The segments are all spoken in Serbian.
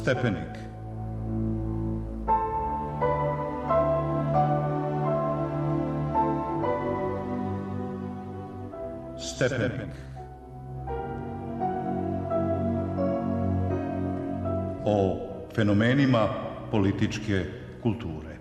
Stepenik. Stepenik. O fenomenima političke kulture.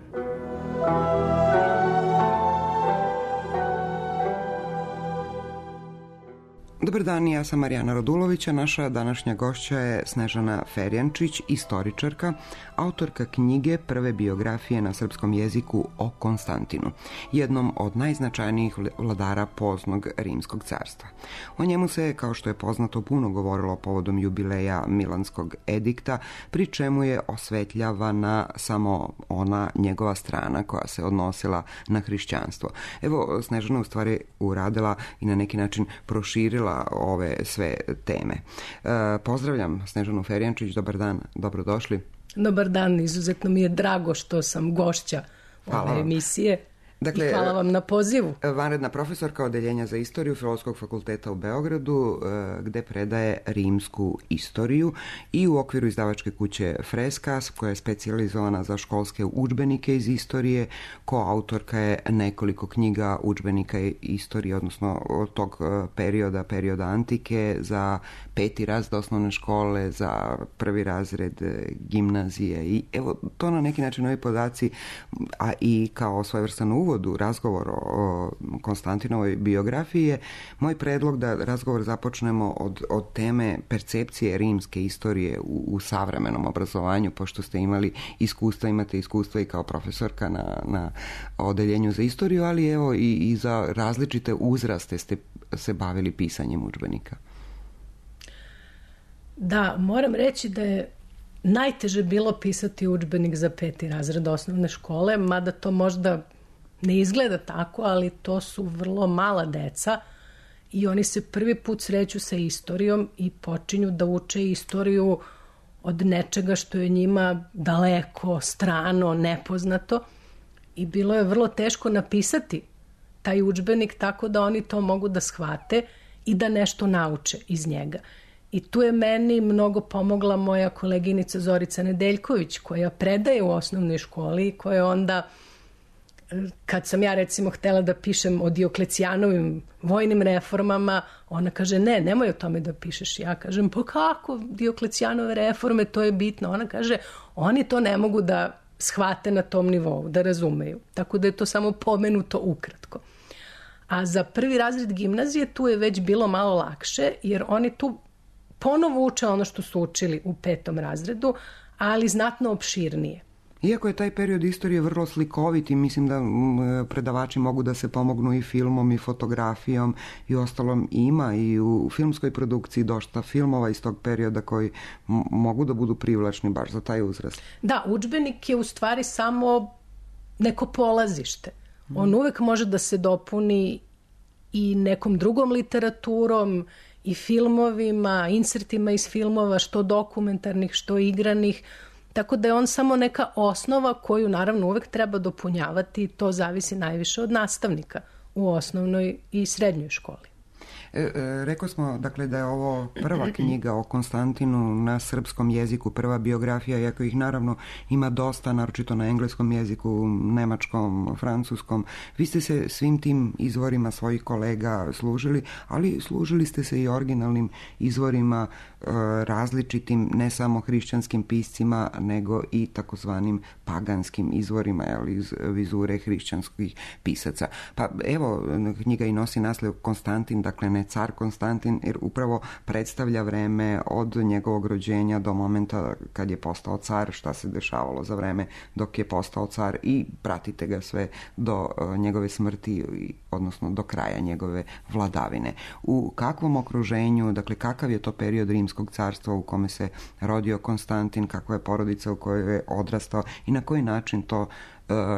Dobar dan, ja sam Marijana Radulović, a naša današnja gošća je Snežana Ferjančić, istoričarka, autorka knjige prve biografije na srpskom jeziku o Konstantinu, jednom od najznačajnijih vladara poznog Rimskog carstva. O njemu se, kao što je poznato, puno govorilo povodom jubileja Milanskog edikta, pri čemu je osvetljavana samo ona njegova strana koja se odnosila na hrišćanstvo. Evo, Snežana u stvari uradila i na neki način proširila ove sve teme. Pozdravljam Snežanu Ferjančić, dobar dan, dobrodošli. Dobar dan, izuzetno mi je drago što sam gošća ove emisije. Dakle, i hvala vam na pozivu. Vanredna profesorka Odeljenja za istoriju Filozofskog fakulteta u Beogradu, gde predaje rimsku istoriju, i u okviru izdavačke kuće Freskas, koja je specijalizovana za školske udžbenike iz istorije. Koautorka je nekoliko knjiga udžbenika istorije, odnosno od tog perioda antike, za 5. razred osnovne škole, za 1. razred gimnazije. I evo, to na neki način ovi podaci, a i kao svojevrstan uvod u razgovor o Konstantinovoj biografiji je moj predlog da razgovor započnemo od teme percepcije rimske istorije u savremenom obrazovanju, pošto ste imali iskustva, imate iskustva i kao profesorka na Odeljenju za istoriju, ali evo i za različite uzraste ste se bavili pisanjem udžbenika. Da, moram reći da je najteže bilo pisati udžbenik za 5. razred osnovne škole, mada to možda ne izgleda tako, ali to su vrlo mala deca i oni se prvi put sreću sa istorijom i počinju da uče istoriju od nečega što je njima daleko, strano, nepoznato, i bilo je vrlo teško napisati taj udžbenik tako da oni to mogu da shvate i da nešto nauče iz njega. I tu je meni mnogo pomogla moja koleginica Zorica Nedeljković, koja predaje u osnovnoj školi i koja onda, kad sam ja recimo htela da pišem o Dioklecijanovim vojnim reformama, ona kaže nemoj o tome da pišeš. Ja kažem, pa kako Dioklecijanove reforme, to je bitno. Ona kaže, oni to ne mogu da shvate na tom nivou, da razumeju. Tako da je to samo pomenuto ukratko. A za 1. razred gimnazije tu je već bilo malo lakše, jer oni tu ponovo uče ono što su učili u 5. razredu, ali znatno opširnije. Iako je taj period istorije vrlo slikovit i mislim da predavači mogu da se pomognu i filmom i fotografijom i ostalom, ima i u filmskoj produkciji dosta filmova iz tog perioda koji mogu da budu privlačni baš za taj uzrast. Da, udžbenik je u stvari samo neko polazište. On uvek može da se dopuni i nekom drugom literaturom i filmovima, insertima iz filmova, što dokumentarnih, što igranih. Tako da je on samo neka osnova koju naravno uvek treba dopunjavati i to zavisi najviše od nastavnika u osnovnoj i srednjoj školi. Rekao smo, dakle, da je ovo prva knjiga o Konstantinu na srpskom jeziku, prva biografija, iako ih naravno ima dosta, naročito na engleskom jeziku, nemačkom, francuskom. Vi ste se svim tim izvorima svojih kolega služili, ali služili ste se i originalnim izvorima, različitim, ne samo hrišćanskim piscima, nego i takozvanim paganskim izvorima, iz vizure hrišćanskih pisaca. Pa evo, knjiga i nosi naslov Konstantin, dakle ne car Konstantin, jer upravo predstavlja vreme od njegovog rođenja do momenta kad je postao car, šta se dešavalo za vreme dok je postao car, i pratite ga sve do njegove smrti, odnosno do kraja njegove vladavine. U kakvom okruženju, dakle kakav je to period Rimskog carstva u kome se rodio Konstantin, kakva je porodica u kojoj je odrastao i na koji način to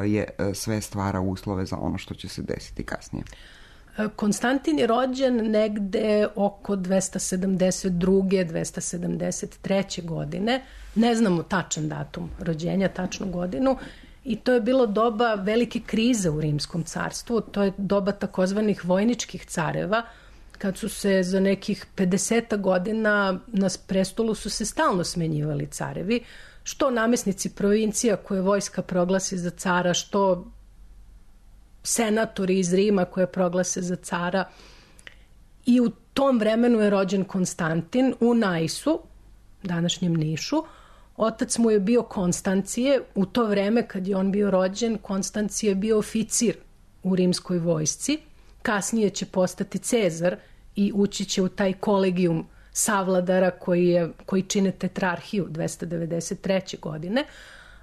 je sve stvara uslove za ono što će se desiti kasnije? Konstantin je rođen negde oko 272. 273. godine. Ne znamo tačan datum rođenja, tačnu godinu. I to je bilo doba velike krize u Rimskom carstvu. To je doba takozvanih vojničkih careva, kad su se za nekih 50 godina na prestolu su se stalno smenjivali carevi, što namesnici provincija koje vojska proglasi za cara, što senatori iz Rima koje proglase za cara. I u tom vremenu je rođen Konstantin u Najsu, današnjem Nišu. Otac mu je bio Konstancije. U to vreme kad je on bio rođen, Konstancije je bio oficir u rimskoj vojsci. Kasnije će postati Cezar i ući će u taj kolegijum savladara koji čine tetrarhiju 293. godine.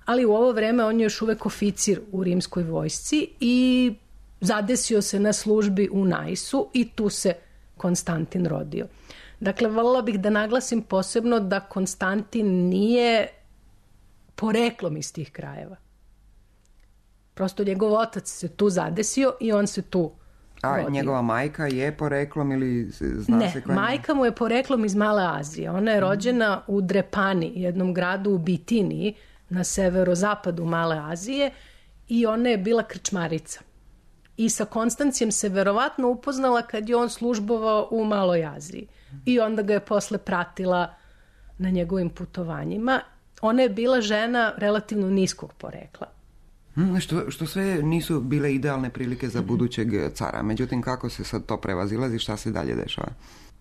Ali u ovo vreme on je još uvek oficir u rimskoj vojsci i zadesio se na službi u Najsu i tu se Konstantin rodio. Dakle, voljela bih da naglasim posebno da Konstantin nije poreklom iz tih krajeva. Prosto njegov otac se tu zadesio i on se tu rodio. A njegova majka je poreklom ili zna se koja? Ne, majka mu je poreklom iz Male Azije. Ona je rođena u Drepani, jednom gradu u Bitiniji, na severozapadu Male Azije, i ona je bila krčmarica. I sa Konstancijem se verovatno upoznala kad je on službovao u Maloj Aziji. I onda ga je posle pratila na njegovim putovanjima. Ona je bila žena relativno niskog porekla. Što sve nisu bile idealne prilike za budućeg cara. Međutim, kako se sad to prevazilazi, šta se dalje dešava?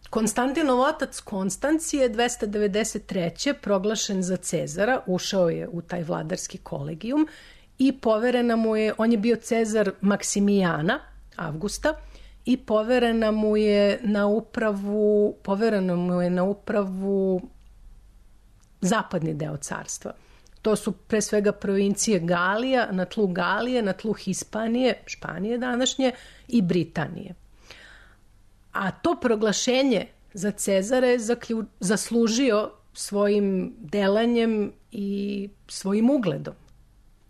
Konstantinov otac Konstancije 293. proglašen za Cezara, ušao je u taj vladarski kolegijum i poverena mu je, on je bio Cezar Maksimijana, Avgusta, i poverena mu je na upravu zapadni deo carstva. To su pre svega provincije Galija, na tlu Galije, na tlu Hispanije, Španije današnje, i Britanije. A to proglašenje za Cezara je zaslužio svojim delanjem i svojim ugledom,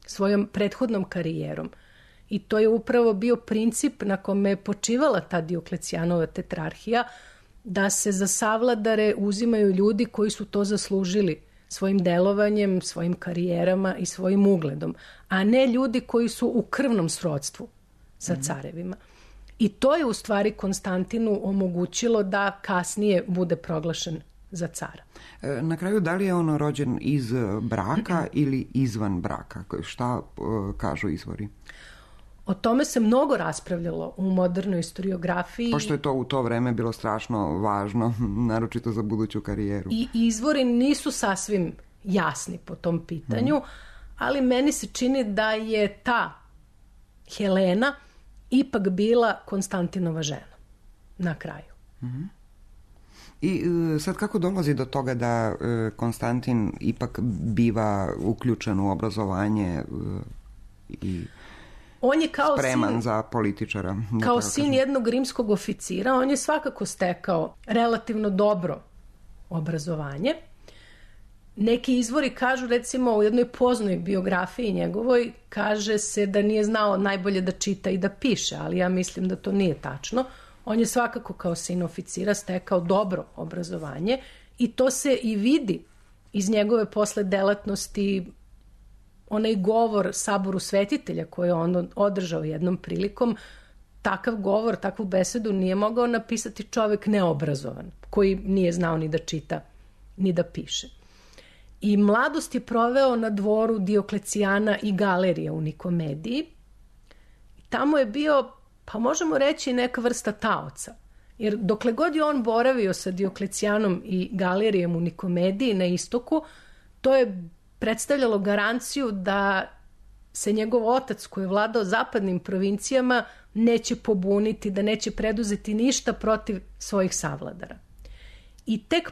svojom prethodnom karijerom. I to je upravo bio princip na kome je počivala ta Dioklecijanova tetrarhija, da se za savladare uzimaju ljudi koji su to zaslužili svojim delovanjem, svojim karijerama i svojim ugledom, a ne ljudi koji su u krvnom srodstvu sa carevima. I to je u stvari Konstantinu omogućilo da kasnije bude proglašen za cara. Na kraju, da li je on rođen iz braka ili izvan braka? Šta kažu izvori? O tome se mnogo raspravljalo u modernoj historiografiji. Pošto je to u to vreme bilo strašno važno, naročito za buduću karijeru. I izvori nisu sasvim jasni po tom pitanju, ali meni se čini da je ta Helena ipak bila Konstantinova žena na kraju. I sad kako dolazi do toga da Konstantin ipak biva uključen u obrazovanje i on je kao spreman za političara? Kao sin jednog rimskog oficira, on je svakako stekao relativno dobro obrazovanje. Neki izvori kažu, recimo u jednoj poznoj biografiji njegovoj, kaže se da nije znao najbolje da čita i da piše, ali ja mislim da to nije tačno. On je svakako kao sin oficira stekao dobro obrazovanje i to se i vidi iz njegove posle delatnosti. Onaj govor Saboru svetitelja koji je on održao jednom prilikom, takav govor, takvu besedu nije mogao napisati čovek neobrazovan, koji nije znao ni da čita, ni da piše. I mladost je proveo na dvoru Dioklecijana i Galerije u Nikomediji. Tamo je bio, pa možemo reći, neka vrsta taoca. Jer dokle god je on boravio sa Dioklecijanom i Galerijem u Nikomediji na istoku, to je predstavljalo garanciju da se njegov otac koji je vladao zapadnim provincijama neće pobuniti, da neće preduzeti ništa protiv svojih savladara. I tek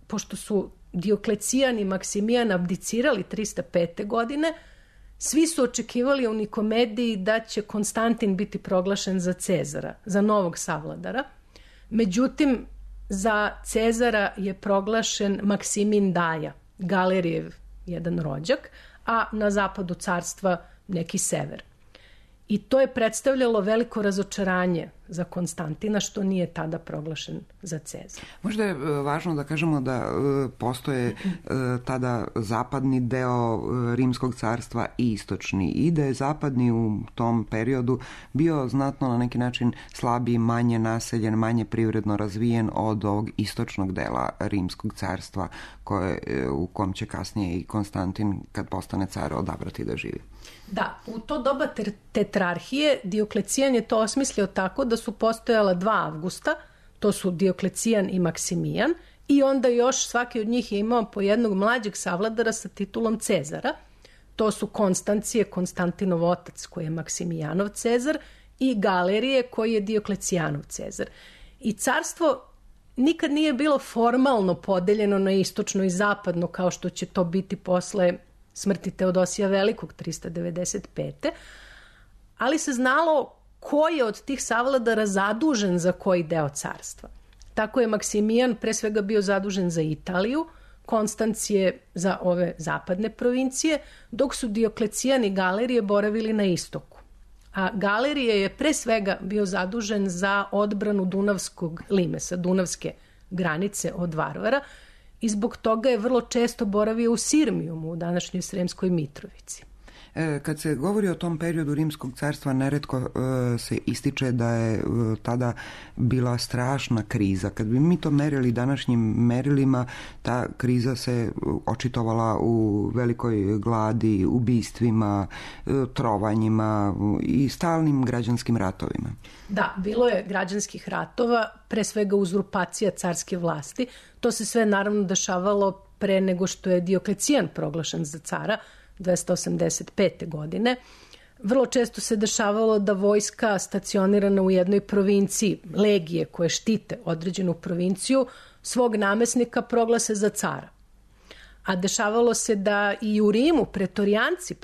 pošto su Dioklecijan i Maksimijan abdicirali 305. godine, svi su očekivali u Nikomediji da će Konstantin biti proglašen za Cezara, za novog savladara. Međutim, za Cezara je proglašen Maksimin Daja, Galerijev jedan rođak, a na zapadu carstva neki sever. I to je predstavljalo veliko razočaranje za Konstantina, što nije tada proglašen za Cezara. Možda je važno da kažemo da postoje tada zapadni deo Rimskog carstva i istočni, i da je zapadni u tom periodu bio znatno na neki način slabiji, manje naseljen, manje privredno razvijen od ovog istočnog dela Rimskog carstva u kom će kasnije i Konstantin, kad postane car, odabrati da živi. Da, u to doba tetrarhije Dioklecijan je to osmislio tako da su postojala 2 Avgusta, to su Dioklecijan i Maksimijan, i onda još svaki od njih je imao po jednog mlađeg savladara sa titulom Cezara. To su Konstancije, Konstantinov otac, koji je Maksimijanov Cezar, i Galerije, koji je Dioklecijanov Cezar. I carstvo nikad nije bilo formalno podeljeno na istočno i zapadno, kao što će to biti posle smrti Teodosija Velikog 395. Ali se znalo ko je od tih savladara zadužen za koji deo carstva. Tako je Maksimijan pre svega bio zadužen za Italiju, Konstancije za ove zapadne provincije, dok su Dioklecijan i Galerije boravili na istoku. A Galerije je pre svega bio zadužen za odbranu Dunavskog limesa, Dunavske granice od Varvara, i zbog toga je vrlo često boravio u Sirmijumu, u današnjoj Sremskoj Mitrovici. Kad se govori o tom periodu Rimskog carstva, neretko se ističe da je tada bila strašna kriza. Kad bi mi to merili današnjim merilima, ta kriza se očitovala u velikoj gladi, ubistvima, trovanjima i stalnim građanskim ratovima. Da, bilo je građanskih ratova, pre svega uzurpacija carske vlasti. To se sve naravno dešavalo pre nego što je Dioklecijan proglašen za cara, 285. godine. Vrlo često se dešavalo da vojska stacionirana u jednoj provinciji, legije koje štite određenu provinciju, svog namesnika proglase za cara. A dešavalo se da i u Rimu pretorijanci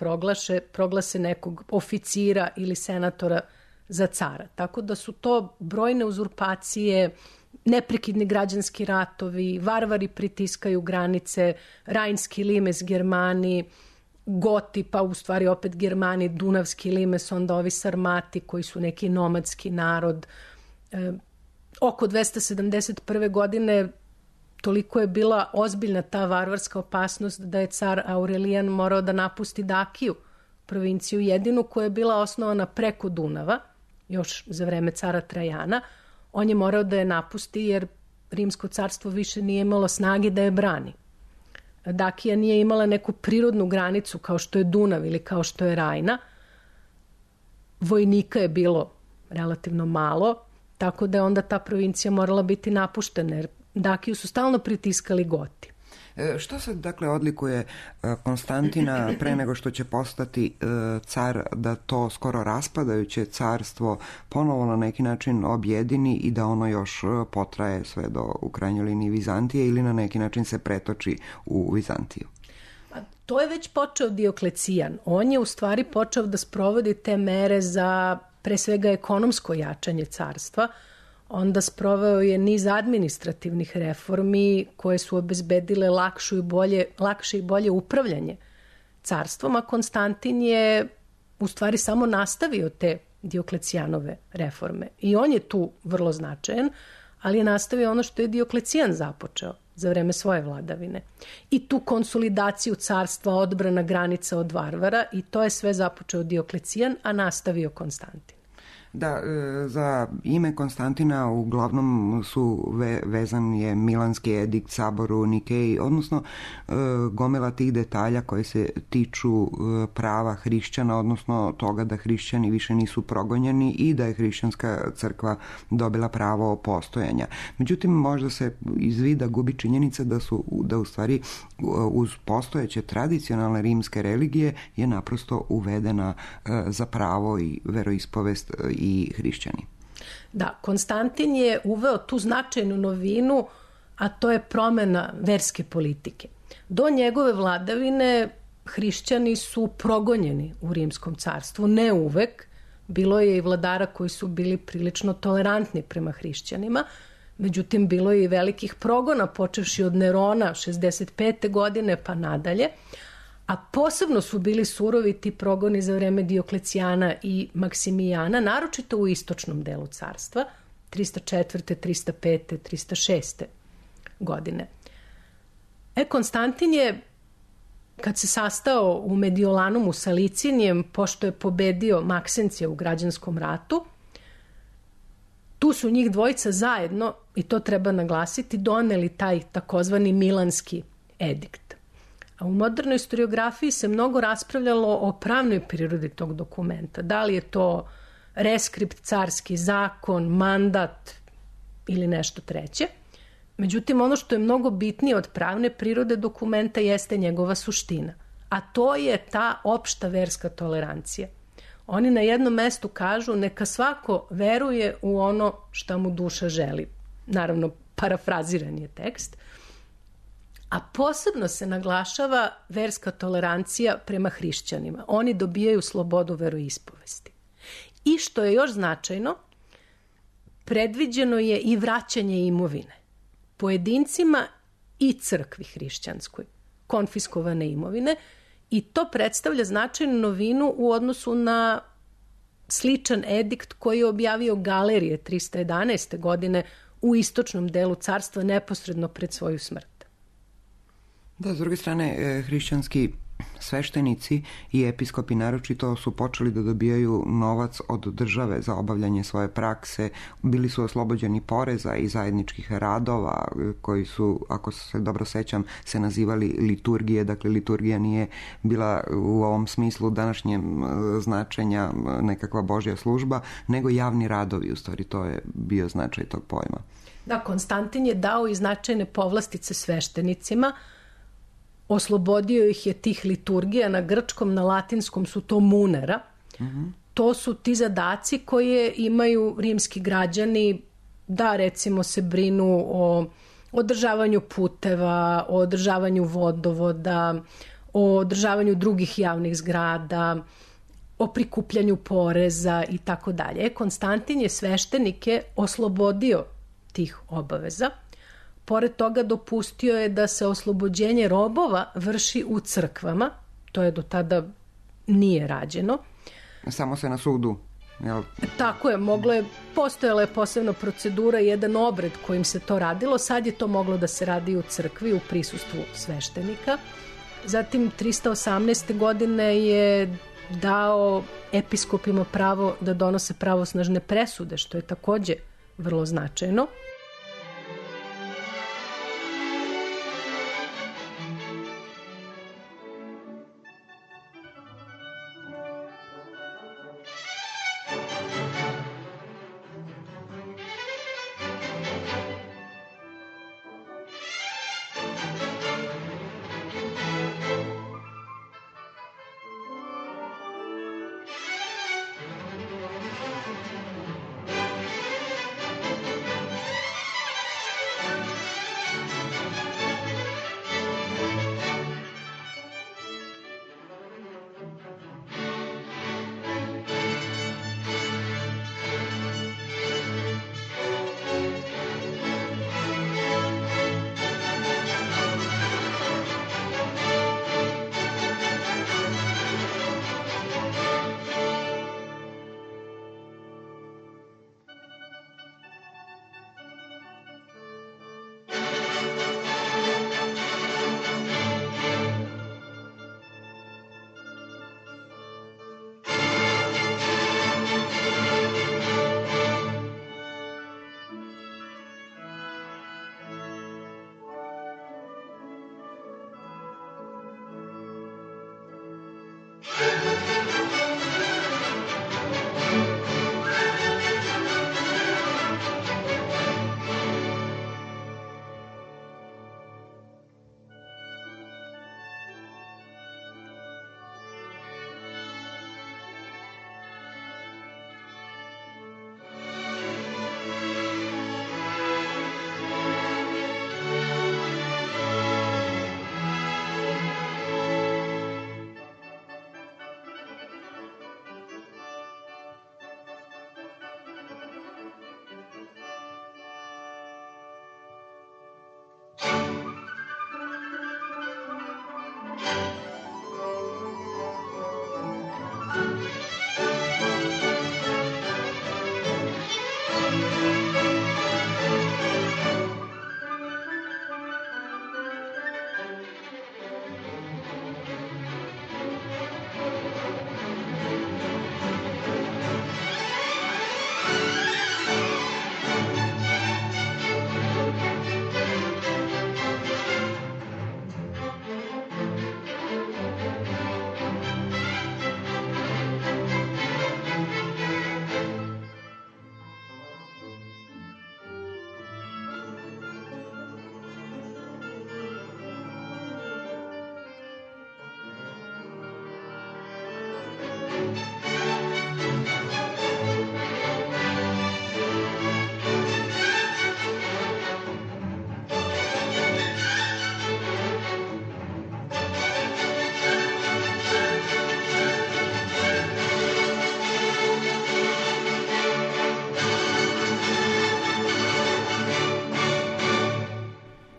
proglase nekog oficira ili senatora za cara. Tako da su to brojne uzurpacije, neprekidni građanski ratovi, varvari pritiskaju granice, Rajnski limes Germani, Goti, pa u stvari opet Germani, Dunavski limes, onda ovi Sarmati koji su neki nomadski narod. Oko 271. godine toliko je bila ozbiljna ta varvarska opasnost da je car Aurelijan morao da napusti Dakiju, provinciju jedinu koja je bila osnovana preko Dunava, još za vreme cara Trajana. On je morao da je napusti jer Rimsko carstvo više nije imalo snage da je brani. Dakija nije imala neku prirodnu granicu kao što je Dunav ili kao što je Rajna. Vojnika je bilo relativno malo, tako da je onda ta provincija morala biti napuštena jer Dakiju su stalno pritiskali Goti. Što sad dakle odlikuje Konstantina pre nego što će postati car, da to skoro raspadajuće carstvo ponovo na neki način objedini i da ono još potraje sve do u krajnjoj liniji Vizantije ili na neki način se pretoči u Vizantiju? To je već počeo Dioklecijan. On je u stvari počeo da sprovodi te mere za pre svega ekonomsko jačanje carstva. Onda sproveo je niz administrativnih reformi koje su obezbedile lakše i bolje upravljanje carstvom, a Konstantin je u stvari samo nastavio te Dioklecijanove reforme. I on je tu vrlo značajan, ali je nastavio ono što je Dioklecijan započeo za vreme svoje vladavine. I tu konsolidaciju carstva, odbrana granica od Varvara, i to je sve započeo Dioklecijan, a nastavio Konstantin. Da, za ime Konstantina uglavnom su vezan je Milanski edikt, sabor u Nikeji, odnosno gomila tih detalja koje se tiču prava hrišćana, odnosno toga da hrišćani više nisu progonjeni i da je hrišćanska crkva dobila pravo postojanja. Međutim, možda se iz vida gubi činjenica da u stvari uz postojeće tradicionalne rimske religije je naprosto uvedena za pravo i veroispovest i hrišćani. Da, Konstantin je uveo tu značajnu novinu, a to je promena verske politike. Do njegove vladavine hrišćani su progonjeni u Rimskom carstvu, ne uvek. Bilo je i vladara koji su bili prilično tolerantni prema hrišćanima, međutim bilo je i velikih progona, počevši od Nerona 65. godine pa nadalje. A posebno su bili surovi ti progoni za vreme Dioklecijana i Maksimijana, naročito u istočnom delu carstva, 304., 305., 306. godine. Konstantin je, kad se sastao u Mediolanum sa Licinijem, pošto je pobedio Maksencija u građanskom ratu, tu su njih dvojica zajedno, i to treba naglasiti, doneli taj takozvani Milanski edikt. A u modernoj historiografiji se mnogo raspravljalo o pravnoj prirodi tog dokumenta. Da li je to reskript, carski zakon, mandat ili nešto treće. Međutim, ono što je mnogo bitnije od pravne prirode dokumenta jeste njegova suština. A to je ta opšta verska tolerancija. Oni na jednom mestu kažu neka svako veruje u ono što mu duša želi. Naravno, parafraziran je tekst. A posebno se naglašava verska tolerancija prema hrišćanima. Oni dobijaju slobodu veroispovesti. I što je još značajno, predviđeno je i vraćanje imovine pojedincima i crkvi hrišćanskoj, konfiskovane imovine, i to predstavlja značajnu novinu u odnosu na sličan edikt koji je objavio Galerije 311. godine u istočnom delu carstva neposredno pred svoju smrt. Da, s druge strane, hrišćanski sveštenici i episkopi naročito su počeli da dobijaju novac od države za obavljanje svoje prakse, bili su oslobođeni poreza i zajedničkih radova koji su, ako se dobro sećam, se nazivali liturgije. Dakle, liturgija nije bila u ovom smislu današnjem značenja nekakva božja služba, nego javni radovi, u stvari to je bio značaj tog pojma. Da, Konstantin je dao i značajne povlastice sveštenicima, oslobodio ih je tih liturgija, na grčkom, na latinskom su to munera. To su ti zadaci koje imaju rimski građani, da recimo se brinu o održavanju puteva, o održavanju vodovoda, o održavanju drugih javnih zgrada, o prikupljanju poreza i tako dalje. Konstantin je sveštenike oslobodio tih obaveza. Pored toga dopustio je da se oslobođenje robova vrši u crkvama, to je do tada nije rađeno. Samo se na sudu, jel? Tako je, postojala je posebna procedura, jedan obred kojim se to radilo, sad je to moglo da se radi u crkvi u prisustvu sveštenika. Zatim 318. godine je dao episkopima pravo da donose pravosnažne presude, što je takođe vrlo značajno.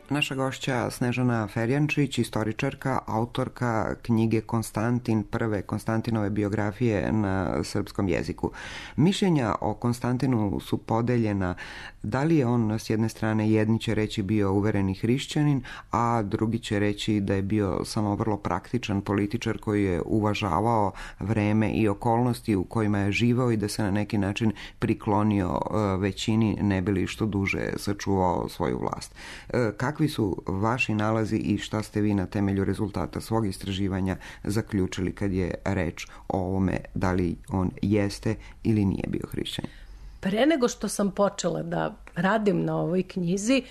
Naša gošća Snežana Ferjančić, istoričarka, autorka knjige Konstantin, prve Konstantinove biografije na srpskom jeziku. Mišljenja o Konstantinu su podeljena da li je on s jedne strane, jedni će reći bio uvereni hrišćanin, a drugi će reći da je bio samo vrlo praktičan političar koji je uvažavao vreme i okolnosti u kojima je živao i da se na neki način priklonio većini ne bi li što duže sačuvao svoju vlast. Kakvi su vaši nalazi i šta ste vi na temelju rezultata svog istraživanja zaključili kad je reč o ovome da li on jeste ili nije bio hrišćanin? Pre nego što sam počela da radim na ovoj knjizi,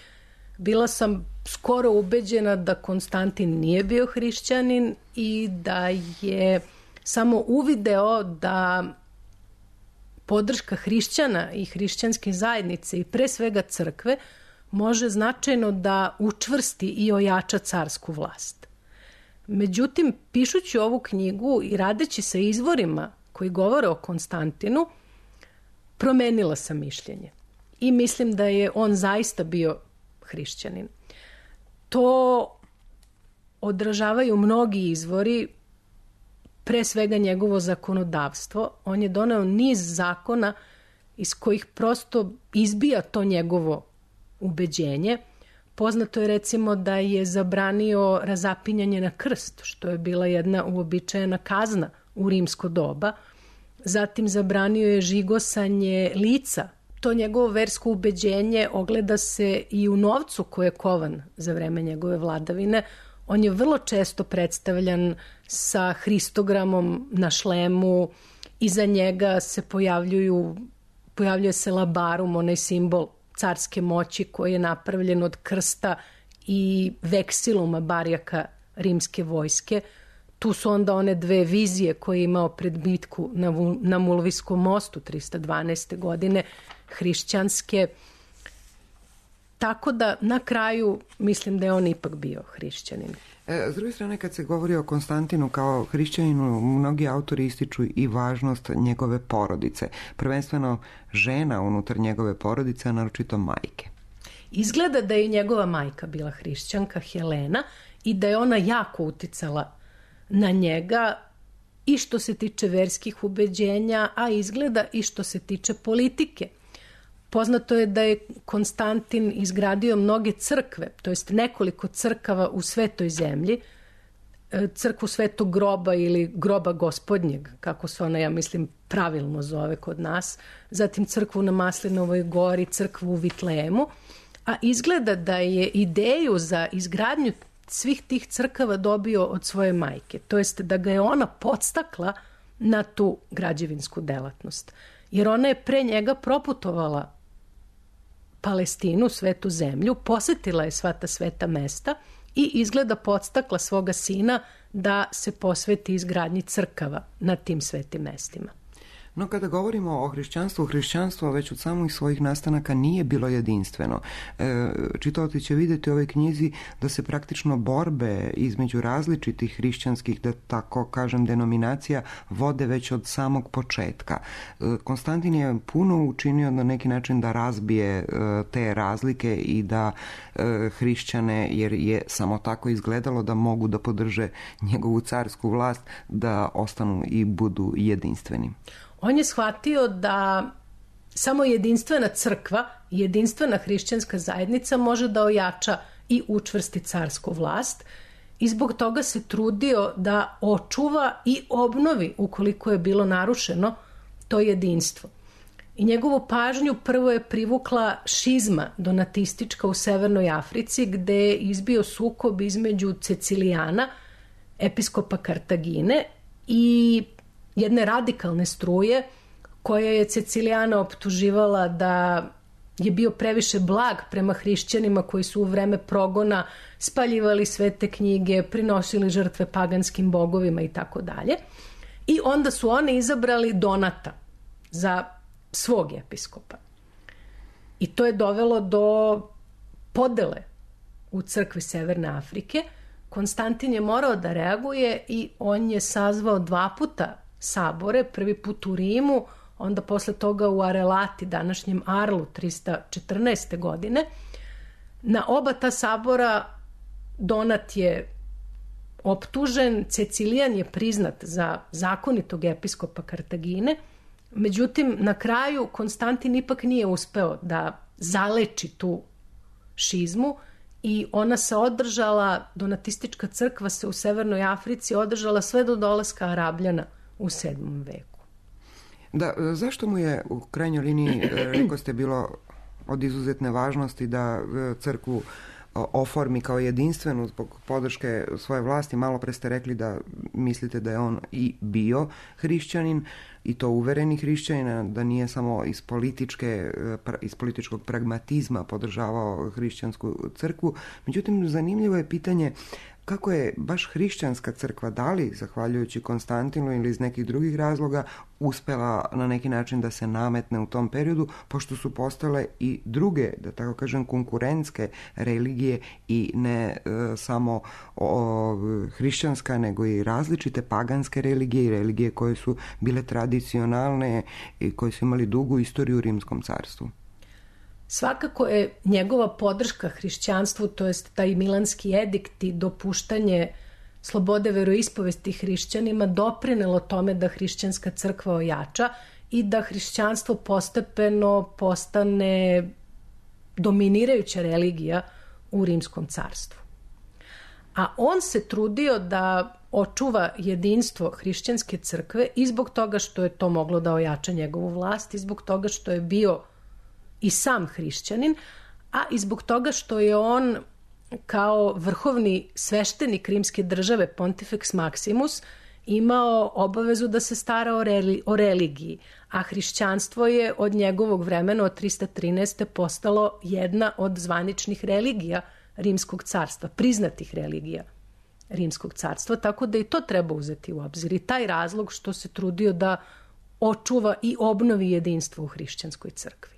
bila sam skoro ubeđena da Konstantin nije bio hrišćanin i da je samo uvideo da podrška hrišćana i hrišćanske zajednice i pre svega crkve može značajno da učvrsti i ojača carsku vlast. Međutim, pišući ovu knjigu i radeći sa izvorima koji govore o Konstantinu, promenila sam mišljenje i mislim da je on zaista bio hrišćanin. To odražavaju mnogi izvori, pre svega njegovo zakonodavstvo. On je doneo niz zakona iz kojih prosto izbija to njegovo ubeđenje. Poznato je recimo da je zabranio razapinjanje na krst, što je bila jedna uobičajena kazna u rimsko doba. Zatim zabranio je žigosanje lica. To njegovo versko ubeđenje ogleda se i u novcu koji je kovan za vreme njegove vladavine. On je vrlo često predstavljan sa Hristogramom na šlemu. Iza njega se pojavljuje se labarum, onaj simbol carske moći koji je napravljen od krsta i veksiluma barjaka rimske vojske. Tu su onda one dve vizije koje je imao pred bitku na Mulviskom mostu 312. godine, hrišćanske. Tako da na kraju mislim da je on ipak bio hrišćanin. S druge strane, kad se govori o Konstantinu kao hrišćaninu, mnogi autori ističu i važnost njegove porodice. Prvenstveno žena unutar njegove porodice, a naročito majke. Izgleda da je njegova majka bila hrišćanka, Helena, i da je ona jako uticala na njega i što se tiče verskih ubeđenja, a izgleda i što se tiče politike. Poznato je da je Konstantin izgradio mnoge crkve, to jest nekoliko crkava u Svetoj zemlji, crkvu Svetog groba ili groba gospodnjeg, kako se ona, ja mislim, pravilno zove kod nas, zatim crkvu na Maslinovoj gori, crkvu u Vitlejemu, a izgleda da je ideju za izgradnju svih tih crkava dobio od svoje majke, to jest da ga je ona podstakla na tu građevinsku delatnost. Jer ona je pre njega proputovala Palestinu, svetu zemlju, posetila je sva ta sveta mesta i izgleda podstakla svoga sina da se posveti izgradnji crkava na tim svetim mestima. No kada govorimo o hrišćanstvu, hrišćanstvo već od samih svojih nastanaka nije bilo jedinstveno. Čitaoci će vidjeti u ovoj knjizi da se praktično borbe između različitih hrišćanskih, da tako kažem, denominacija vode već od samog početka. Konstantin je puno učinio na neki način da razbije te razlike i da hrišćane, jer je samo tako izgledalo da mogu da podrže njegovu carsku vlast, da ostanu i budu jedinstveni. On je shvatio da samo jedinstvena crkva, jedinstvena hrišćanska zajednica može da ojača i učvrsti carsku vlast i zbog toga se trudio da očuva i obnovi, ukoliko je bilo narušeno, to jedinstvo. I njegovu pažnju prvo je privukla šizma donatistička u Severnoj Africi, gde je izbio sukob između Cecilijana, episkopa Kartagine, i jedne radikalne struje koja je Cecilijana optuživala da je bio previše blag prema hrišćanima koji su u vreme progona spaljivali svete knjige, prinosili žrtve paganskim bogovima i tako dalje. I onda su oni izabrali Donata za svog episkopa. I to je dovelo do podele u crkvi Severne Afrike. Konstantin je morao da reaguje i on je sazvao 2 puta sabore, prvi put u Rimu, onda posle toga u Arelati, današnjem Arlu, 314. godine, Na oba ta sabora Donat je optužen, Cecilijan je priznat za zakonitog episkopa Kartagine, međutim na kraju Konstantin ipak nije uspeo da zaleči tu šizmu i ona se održala, donatistička crkva se u Severnoj Africi održala sve do dolaska Arabljana u 7. veku. Da, zašto mu je u krajnjoj liniji, rekao ste, bilo od izuzetne važnosti da crkvu oformi kao jedinstvenu zbog podrške svoje vlasti? Malo pre ste rekli da mislite da je on i bio hrišćanin, i to uvereni hrišćanin, da nije samo iz političkog pragmatizma podržavao hrišćansku crkvu. Međutim, zanimljivo je pitanje kako je baš hrišćanska crkva, da li zahvaljujući Konstantinu ili iz nekih drugih razloga, uspela na neki način da se nametne u tom periodu, pošto su postale i druge, da tako kažem, konkurentske religije i ne samo hrišćanska, nego i različite paganske religije i religije koje su bile tradicionalne i koje su imali dugu istoriju u Rimskom carstvu. Svakako je njegova podrška hrišćanstvu, to jest taj Milanski edikt i dopuštanje slobode veroispovesti hrišćanima doprinelo tome da hrišćanska crkva ojača i da hrišćanstvo postepeno postane dominirajuća religija u Rimskom carstvu. A on se trudio da očuva jedinstvo hrišćanske crkve i zbog toga što je to moglo da ojača njegovu vlast i zbog toga što je bio i sam hrišćanin, a i zbog toga što je on kao vrhovni sveštenik rimske države, Pontifex Maximus, imao obavezu da se stara o religiji, a hrišćanstvo je od njegovog vremena, od 313. postalo jedna od zvaničnih religija Rimskog carstva, priznatih religija Rimskog carstva, tako da i to treba uzeti u obzir. I taj razlog što se trudio da očuva i obnovi jedinstvo u hrišćanskoj crkvi.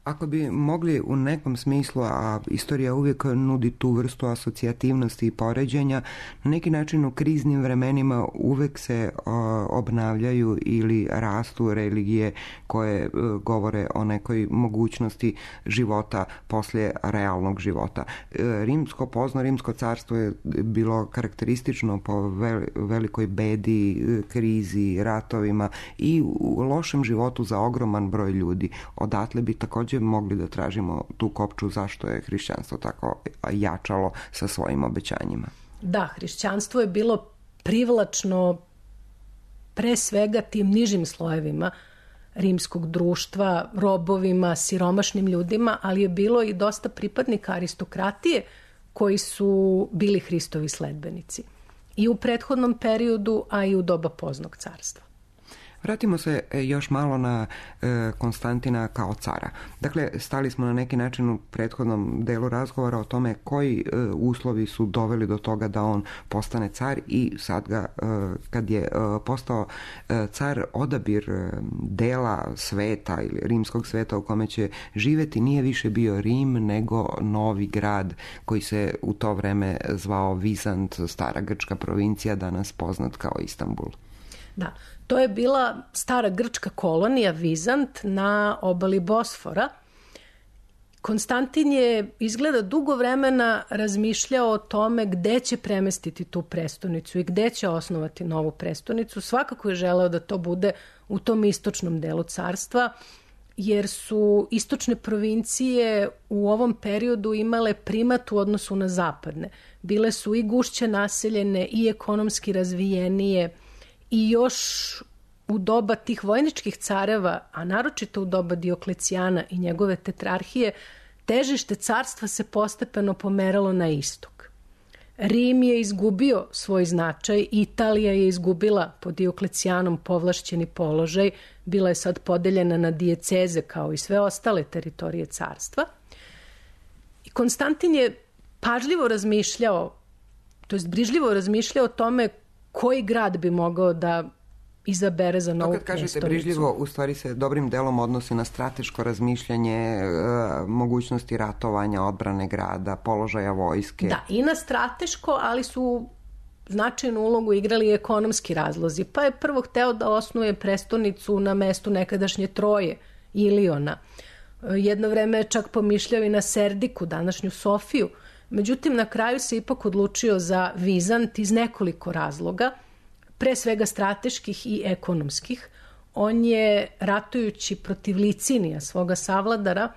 Ako bi mogli u nekom smislu, a istorija uvijek nudi tu vrstu asocijativnosti i poređenja, na neki način u kriznim vremenima uvijek se obnavljaju ili rastu religije koje govore o nekoj mogućnosti života poslije realnog života. Rimsko carstvo je bilo karakteristično po velikoj bedi, krizi, ratovima i u lošem životu za ogroman broj ljudi. Odatle bi također mogli da tražimo tu kopču zašto je hrišćanstvo tako jačalo sa svojim obećanjima. Da, hrišćanstvo je bilo privlačno pre svega tim nižim slojevima rimskog društva, robovima, siromašnim ljudima, ali je bilo i dosta pripadnika aristokratije koji su bili Hristovi sledbenici. I u prethodnom periodu, a i u doba Poznog carstva. Vratimo se još malo na Konstantina kao cara. Dakle, stali smo na neki način u prethodnom delu razgovora o tome koji uslovi su doveli do toga da on postane car i sad ga, kad je postao car, odabir dela sveta ili rimskog sveta u kome će živjeti nije više bio Rim, nego novi grad koji se u to vreme zvao Vizant, stara grčka provincija, danas poznat kao Istanbul. Da, to je bila stara grčka kolonija Vizant na obali Bosfora. Konstantin je izgleda dugo vremena razmišljao o tome gde će premestiti tu prestonicu i gde će osnovati novu prestonicu. Svakako je želeo da to bude u tom istočnom delu carstva, jer su istočne provincije u ovom periodu imale primat u odnosu na zapadne. Bile su i gušće naseljene i ekonomski razvijenije, i još u doba tih vojničkih careva, a naročito u doba Dioklecijana i njegove tetrarhije, težište carstva se postepeno pomeralo na istok. Rim je izgubio svoj značaj, Italija je izgubila pod Dioklecijanom povlašćeni položaj, bila je sad podeljena na dijeceze kao i sve ostale teritorije carstva. I Konstantin je pažljivo razmišljao, to jest brižljivo razmišljao o tome koji grad bi mogao da izabere za novu prestonicu. To kad kažete brižljivo, u stvari se dobrim delom odnosi na strateško razmišljanje, mogućnosti ratovanja, odbrane grada, položaja vojske. Da, i na strateško, ali su značajnu ulogu igrali ekonomski razlozi. Pa je prvo hteo da osnuje prestonicu na mestu nekadašnje Troje, Iliona. Jedno vreme je čak pomišljao i na Serdiku, današnju Sofiju. Međutim, na kraju se ipak odlučio za Vizant iz nekoliko razloga, pre svega strateških i ekonomskih. On je, ratujući protiv Licinija, svoga savladara,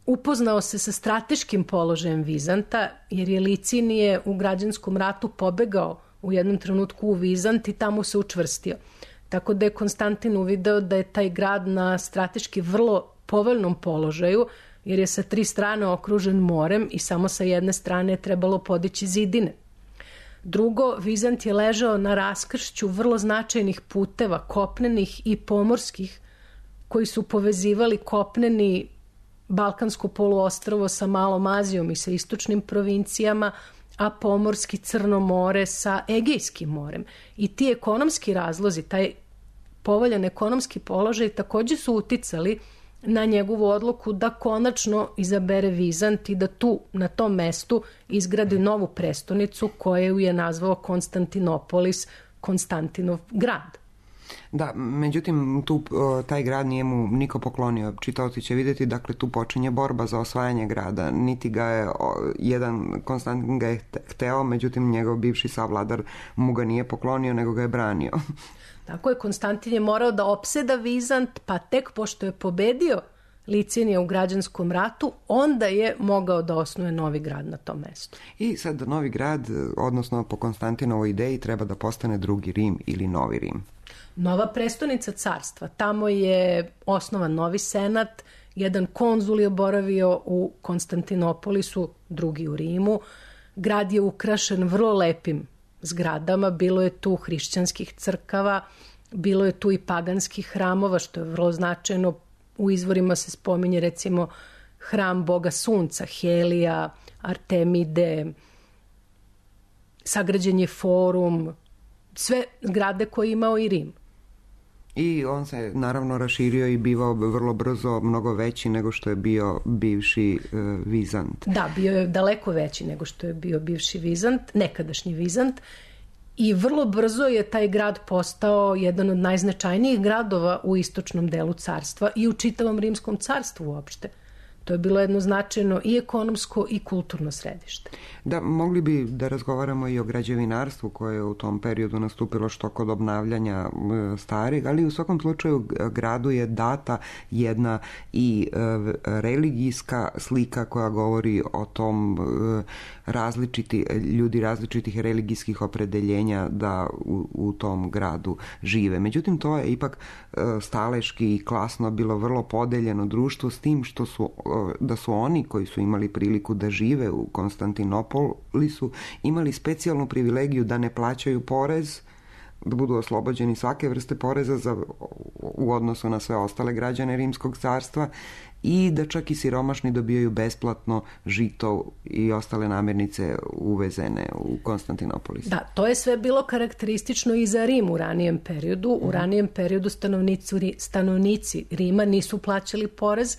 upoznao se sa strateškim položajem Vizanta, jer je Licinije u građanskom ratu pobegao u jednom trenutku u Vizant i tamo se učvrstio. Tako da je Konstantin uvideo da je taj grad na strateški vrlo povoljnom položaju, jer je sa 3 strane okružen morem i samo sa jedne strane je trebalo podići zidine. Drugo, Vizant je ležao na raskršću vrlo značajnih puteva, kopnenih i pomorskih, koji su povezivali kopneni Balkansko poluostrvo sa Malom Azijom i sa istočnim provincijama, a pomorski Crno more sa Egejskim morem. I ti ekonomski razlozi, taj povoljan ekonomski položaj takođe su uticali na njegovu odluku da konačno izabere Vizant i da tu, na tom mestu, izgradi novu prestonicu koju je nazvao Konstantinopolis, Konstantinov grad. Da, međutim, taj grad nije mu niko poklonio. Čitaoci će vidjeti, dakle, tu počinje borba za osvajanje grada. Niti ga je, Konstantin ga je hteo, međutim, njegov bivši savladar mu ga nije poklonio, nego ga je branio. Tako je, Konstantin je morao da opseda Vizant, pa tek pošto je pobedio Licinija u građanskom ratu, onda je mogao da osnuje novi grad na tom mestu. I sad novi grad, odnosno po Konstantinovoj ideji, treba da postane drugi Rim ili novi Rim. Nova prestonica carstva. Tamo je osnovan novi senat, jedan konzul je boravio u Konstantinopolisu, drugi u Rimu. Grad je ukrašen vrlo lepim zgradama, bilo je tu hrišćanskih crkava, bilo je tu i paganskih hramova, što je vrlo značajno. U izvorima se spominje recimo hram boga sunca, Helija, Artemide, sagrađen je forum, sve zgrade koje je imao i Rim. I on se naravno raširio i bivao vrlo brzo mnogo veći nego što je bio bivši Vizant. Da, bio je daleko veći nego što je bio bivši Vizant, nekadašnji Vizant, i vrlo brzo je taj grad postao jedan od najznačajnijih gradova u istočnom delu carstva i u čitavom rimskom carstvu uopšte. To je bilo jedno značajno i ekonomsko i kulturno središte. Da, mogli bi da razgovaramo i o građevinarstvu koje je u tom periodu nastupilo što kod obnavljanja starih, ali u svakom slučaju gradu je data jedna i religijska slika koja govori o tom ljudi različitih religijskih opredeljenja da u tom gradu žive. Međutim, to je ipak staleški i klasno bilo vrlo podeljeno društvo, s tim što da su oni koji su imali priliku da žive u Konstantinopolisu imali specijalnu privilegiju da ne plaćaju porez, da budu oslobođeni svake vrste poreza u odnosu na sve ostale građane Rimskog carstva i da čak i siromašni dobijaju besplatno žito i ostale namirnice uvezene u Konstantinopolis. Da, to je sve bilo karakteristično i za Rim u ranijem periodu. U ranijem periodu stanovnici Rima nisu plaćali porez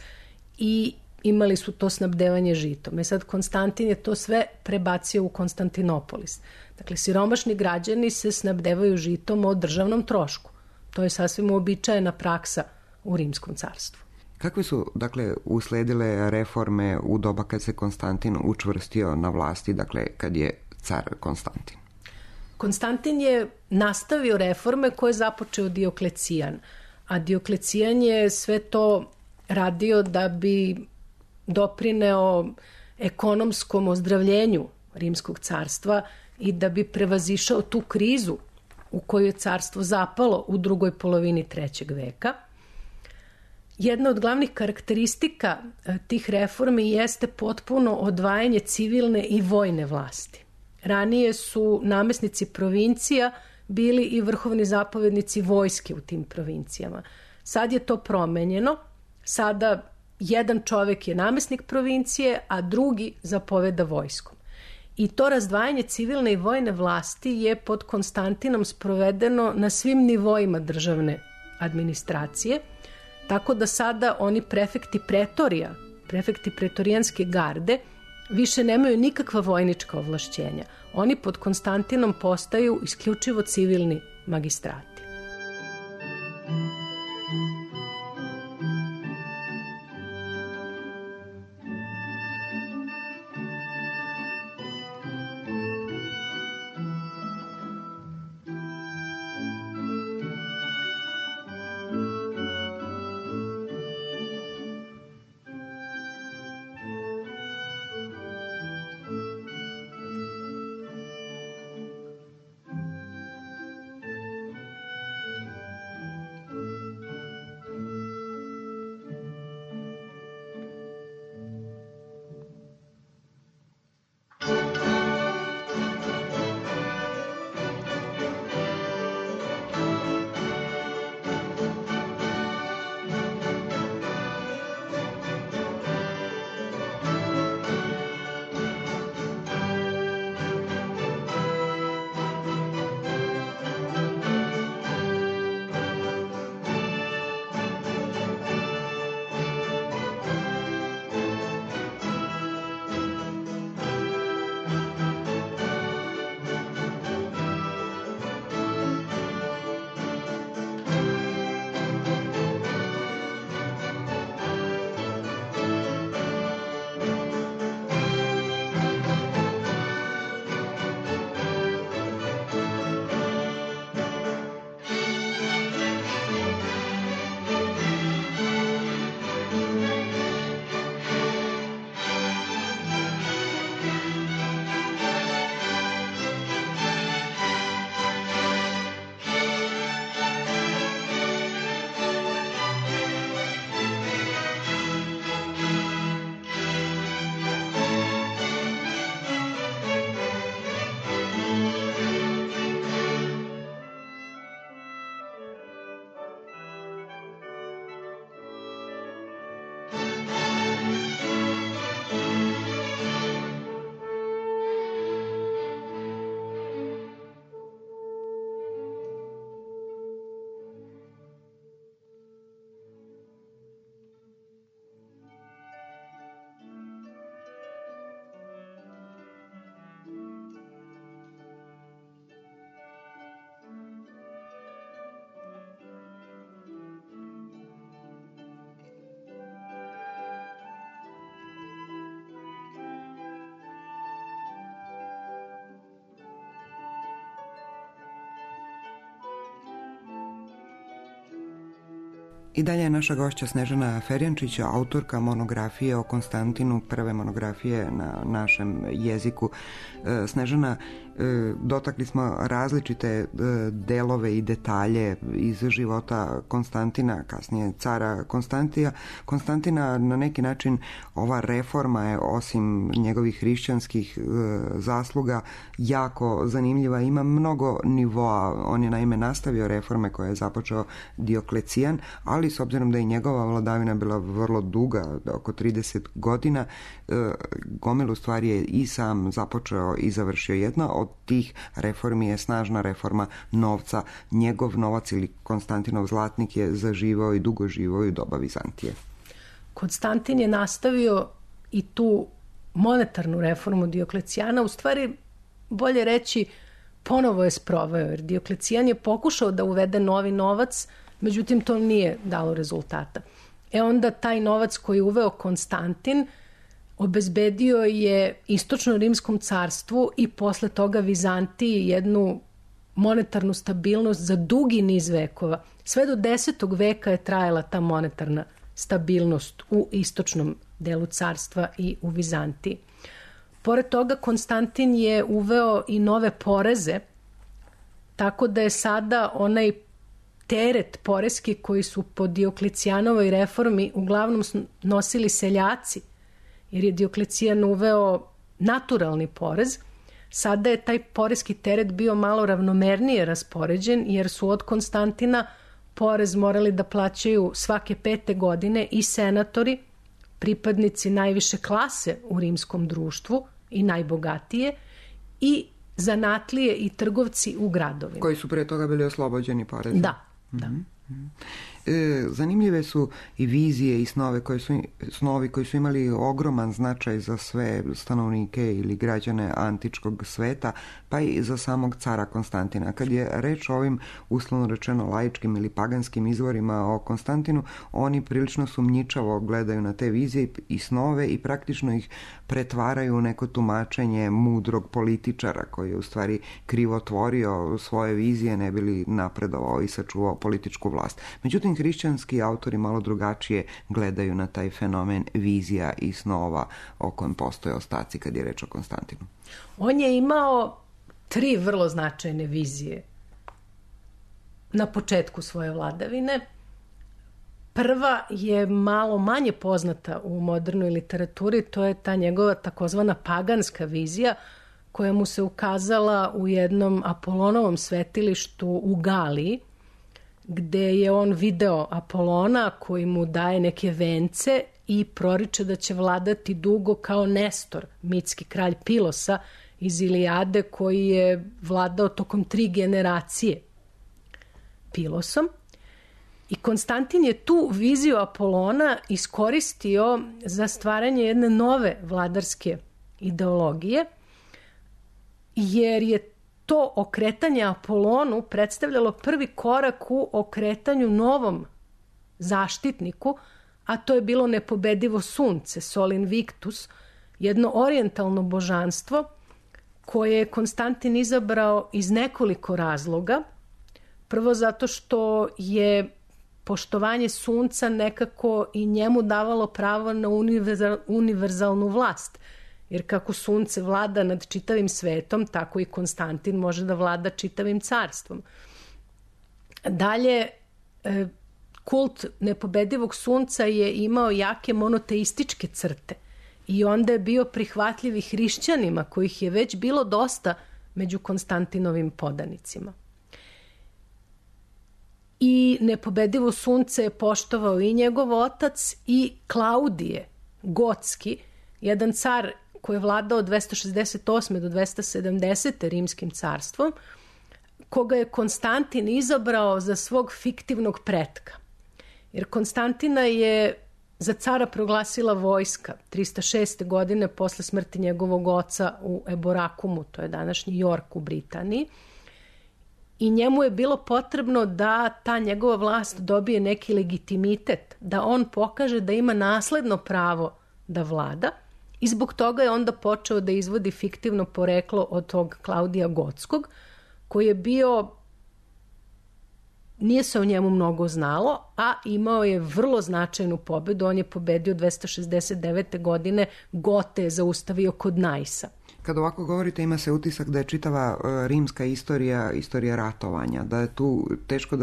i imali su to snabdevanje žitom. Sad Konstantin je to sve prebacio u Konstantinopolis. Dakle, siromašni građani se snabdevaju žitom o državnom trošku. To je sasvim uobičajena praksa u Rimskom carstvu. Kakve su, dakle, usledile reforme u doba kad se Konstantin učvrstio na vlasti, dakle, kad je car Konstantin? Konstantin je nastavio reforme koje je započeo Dioklecijan, a Dioklecijan je sve to radio da bi doprineo ekonomskom ozdravljenju Rimskog carstva i da bi prevazišao tu krizu u koju je carstvo zapalo u drugoj polovini 3. veka. Jedna od glavnih karakteristika tih reformi jeste potpuno odvajanje civilne i vojne vlasti. Ranije su namesnici provincija bili i vrhovni zapovednici vojske u tim provincijama. Sad je to promenjeno. Sada jedan čovjek je namesnik provincije, a drugi zapoveda vojskom. I to razdvajanje civilne i vojne vlasti je pod Konstantinom sprovedeno na svim nivoima državne administracije, tako da sada oni prefekti pretorija, prefekti pretorijanske garde, više nemaju nikakva vojnička ovlašćenja. Oni pod Konstantinom postaju isključivo civilni magistrati. I dalje je naša gošća Snežana Ferjančić, autorka monografije o Konstantinu, prve monografije na našem jeziku. Snežana, dotakli smo različite delove i detalje iz života Konstantina, kasnije cara Konstantina. Na neki način ova reforma je, osim njegovih hrišćanskih zasluga, jako zanimljiva. Ima mnogo nivoa. On je naime nastavio reforme koje je započeo Dioklecijan, ali s obzirom da je njegova vladavina bila vrlo duga, oko 30 godina, gomilu stvari je i sam započeo i završio. Jedna od tih reformi je snažna reforma novca. Njegov novac ili Konstantinov zlatnik je zaživao i dugo živao i u doba Vizantije. Konstantin je nastavio i tu monetarnu reformu Dioklecijana, u stvari bolje reći ponovo je sproveo, jer Dioklecijan je pokušao da uvede novi novac, međutim to nije dalo rezultata. Onda taj novac koji je uveo Konstantin obezbedio je istočno-rimskom carstvu i posle toga Vizantiji jednu monetarnu stabilnost za dugi niz vekova. Sve do 10. veka je trajala ta monetarna stabilnost u istočnom delu carstva i u Vizantiji. Pored toga Konstantin je uveo i nove poreze, tako da je sada onaj teret poreski koji su po Dioklecijanovoj reformi uglavnom nosili seljaci, jer je Dioklecijan uveo naturalni porez. Sada je taj poreski teret bio malo ravnomernije raspoređen, jer su od Konstantina porez morali da plaćaju svake 5. godine i senatori, pripadnici najviše klase u rimskom društvu i najbogatije, i zanatlije i trgovci u gradovima. Koji su pre toga bili oslobođeni poreza. Da. Zanimljive su i vizije i snovi koji su imali ogroman značaj za sve stanovnike ili građane antičkog sveta, pa i za samog cara Konstantina. Kad je reč o ovim uslovno rečeno laičkim ili paganskim izvorima o Konstantinu, oni prilično sumnjičavo gledaju na te vizije i snove i praktično ih pretvaraju u neko tumačenje mudrog političara koji je u stvari krivotvorio svoje vizije, ne bi li napredovao i sačuvao političku vlast. Međutim, hrišćanski autori malo drugačije gledaju na taj fenomen vizija i snova o kojem postoje ostaci kad je reč o Konstantinu. On je imao 3 vrlo značajne vizije na početku svoje vladavine. Prva je malo manje poznata u modernoj literaturi, to je ta njegova takozvana paganska vizija, koja mu se ukazala u jednom Apolonovom svetilištu u Galiji, gde je on video Apolona koji mu daje neke vence i proriče da će vladati dugo kao Nestor, mitski kralj Pilosa iz Ilijade, koji je vladao tokom 3 generacije Pilosom. I Konstantin je tu viziju Apolona iskoristio za stvaranje jedne nove vladarske ideologije, jer je to okretanje Apolonu predstavljalo prvi korak u okretanju novom zaštitniku, a to je bilo nepobedivo sunce, Sol Invictus, jedno orijentalno božanstvo koje je Konstantin izabrao iz nekoliko razloga. Prvo zato što je poštovanje sunca nekako i njemu davalo pravo na univerzalnu vlast, jer kako sunce vlada nad čitavim svetom, tako i Konstantin može da vlada čitavim carstvom. Dalje, kult nepobedivog sunca je imao jake monoteističke crte i onda je bio prihvatljiv i hrišćanima, kojih je već bilo dosta među Konstantinovim podanicima. I nepobedivo sunce je poštovao i njegov otac i Klaudije Gotski, jedan car koji je vladao od 268. do 270. rimskim carstvom, koga je Konstantin izabrao za svog fiktivnog pretka. Jer Konstantina je za cara proglasila vojska 306. godine posle smrti njegovog oca u Eborakumu, to je današnji York u Britaniji. I njemu je bilo potrebno da ta njegova vlast dobije neki legitimitet, da on pokaže da ima nasledno pravo da vlada, i zbog toga je onda počeo da izvodi fiktivno poreklo od tog Klaudija Gotskog, koji je bio nije se o njemu mnogo znalo, a imao je vrlo značajnu pobedu. On je pobedio 269. godine, Gote je zaustavio kod Najsa. Kad ovako govorite, ima se utisak da je čitava rimska istorija ratovanja, da je tu teško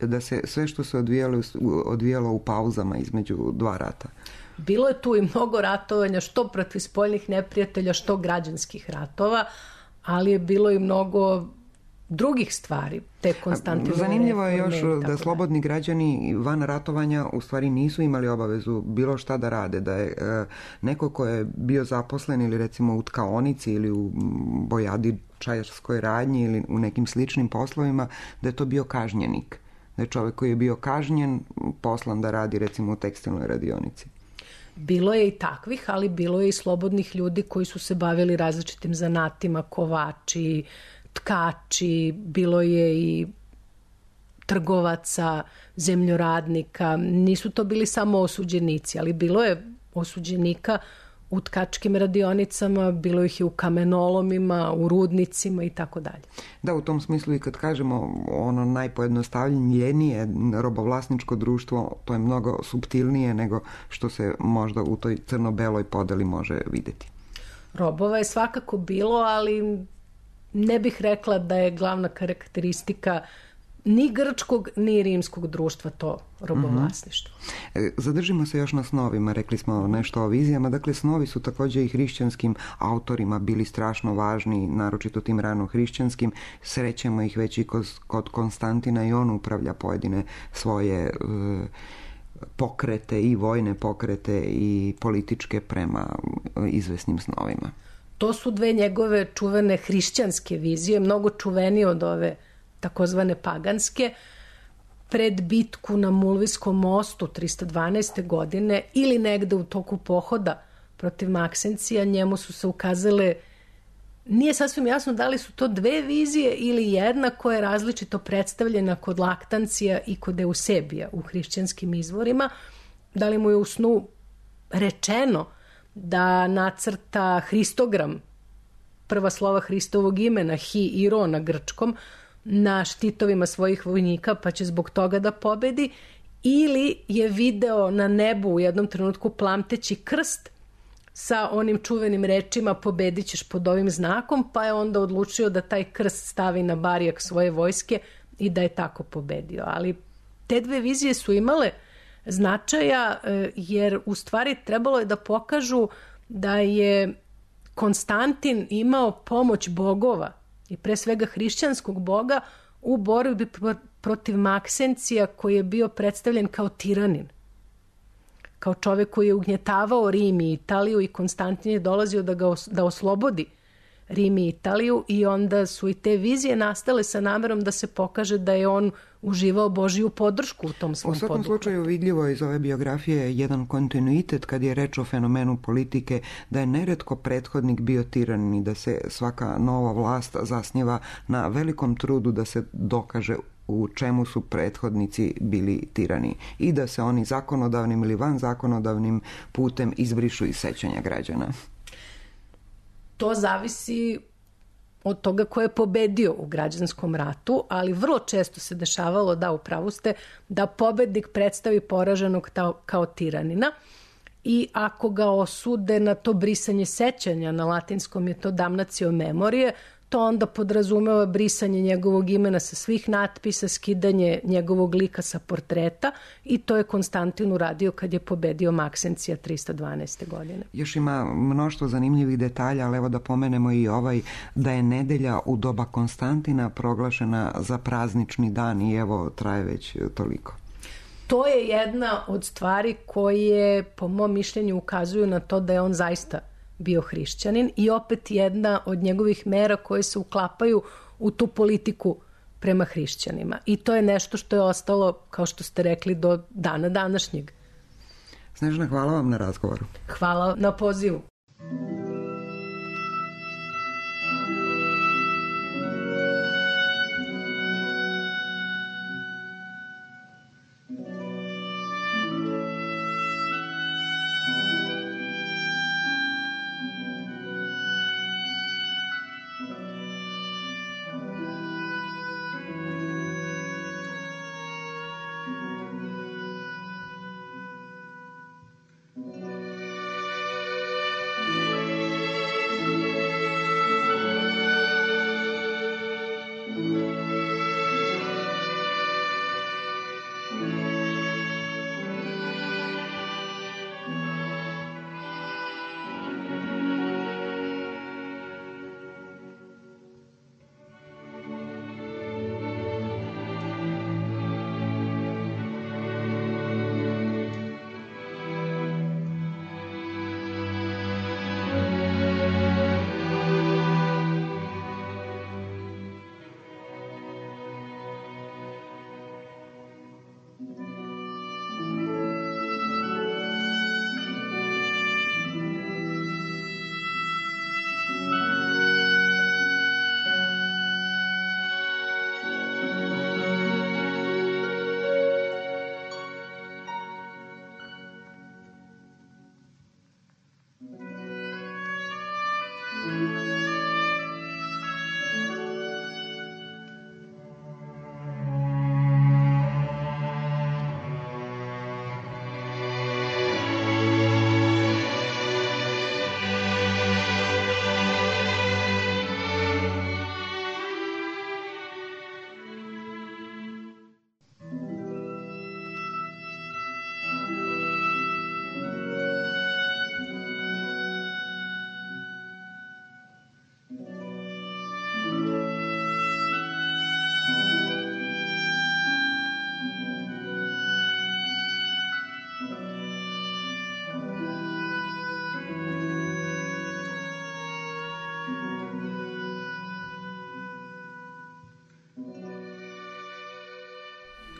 da se sve što se odvijalo u pauzama između dva rata. Bilo je tu i mnogo ratovanja, što protiv spoljnih neprijatelja, što građanskih ratova, ali je bilo i mnogo drugih stvari, te Konstantinove. Zanimljivo je još da slobodni građani van ratovanja u stvari nisu imali obavezu bilo šta da rade, da je neko ko je bio zaposlen ili recimo u tkaonici ili u bojadi čajarskoj radnji ili u nekim sličnim poslovima, da je to bio kažnjenik. Da je čovjek koji je bio kažnjen poslan da radi recimo u tekstilnoj radionici. Bilo je i takvih, ali bilo je i slobodnih ljudi koji su se bavili različitim zanatima, kovači, tkači, bilo je i trgovaca, zemljoradnika. Nisu to bili samo osuđenici, ali bilo je osuđenika u tkačkim radionicama, bilo ih je u kamenolomima, u rudnicima i tako dalje. Da, u tom smislu i kad kažemo ono najpojednostavljenije robovlasničko društvo, to je mnogo suptilnije nego što se možda u toj crno-beloj podeli može vidjeti. Robova je svakako bilo, ali ne bih rekla da je glavna karakteristika ni grčkog, ni rimskog društva to robovlasništvo. Zadržimo se još na snovima, rekli smo nešto o vizijama, dakle snovi su također i hrišćanskim autorima bili strašno važni, naročito tim rano hrišćanskim, srećemo ih već i kod Konstantina i on upravlja pojedine svoje pokrete i vojne pokrete i političke prema izvesnim snovima. To su dve njegove čuvene hrišćanske vizije, mnogo čuvenije od ove takozvane paganske. Pred bitku na Mulvijskom mostu 312. godine ili negde u toku pohoda protiv Maksencija, njemu su se ukazale, nije sasvim jasno da li su to dve vizije ili jedna koja je različito predstavljena kod Laktancija i kod Eusebija u hrišćanskim izvorima. Da li mu je u snu rečeno da nacrta hristogram, prva slova Hristovog imena, hi i ro na grčkom, na štitovima svojih vojnika, pa će zbog toga da pobedi, ili je video na nebu u jednom trenutku plamteći krst sa onim čuvenim rečima pobedit ćeš pod ovim znakom, pa je onda odlučio da taj krst stavi na barijak svoje vojske i da je tako pobedio. Ali te dve vizije su imale značaja, jer u stvari trebalo je da pokažu da je Konstantin imao pomoć bogova i pre svega hrišćanskog boga u borbi protiv Maksencija, koji je bio predstavljen kao tiranin, kao čovjek koji je ugnjetavao Rim i Italiju, i Konstantin je dolazio da oslobodi Rim i Italiju, i onda su i te vizije nastale sa namerom da se pokaže da je on uživao Božiju podršku u tom svom poduhvatu. U svakom slučaju vidljivo iz ove biografije jedan kontinuitet kad je reč o fenomenu politike, da je neretko prethodnik bio tiranin i da se svaka nova vlast zasniva na velikom trudu da se dokaže u čemu su prethodnici bili tirani i da se oni zakonodavnim ili van zakonodavnim putem izbrišu iz sećanja građana. To zavisi od toga ko je pobedio u građanskom ratu, ali vrlo često se dešavalo, da, upravo ste, da pobednik predstavi poraženog kao tiranina, i ako ga osude na to brisanje sećanja, na latinskom je to damnatio memorije, to onda podrazumeva brisanje njegovog imena sa svih natpisa, skidanje njegovog lika sa portreta, i to je Konstantin uradio kad je pobedio Maksencija 312. godine. Još ima mnoštvo zanimljivih detalja, ali evo da pomenemo i ovaj, da je nedelja u doba Konstantina proglašena za praznični dan, i evo traje već toliko. To je jedna od stvari koje, po mom mišljenju, ukazuju na to da je on zaista bio hrišćanin, i opet jedna od njegovih mera koje se uklapaju u tu politiku prema hrišćanima. I to je nešto što je ostalo, kao što ste rekli, do dana današnjeg. Snežana, hvala vam na razgovoru. Hvala na pozivu.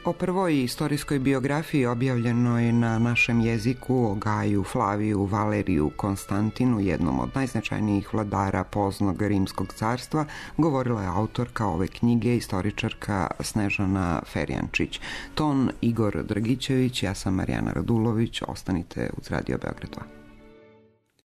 O prvoj istorijskoj biografiji objavljenoj na našem jeziku o Gaju, Flaviju, Valeriju, Konstantinu, jednom od najznačajnijih vladara poznog Rimskog carstva, govorila je autorka ove knjige, istoričarka Snežana Ferjančić. Ton Igor Dragićević, ja sam Marijana Radulović, ostanite uz Radio Beograd 2.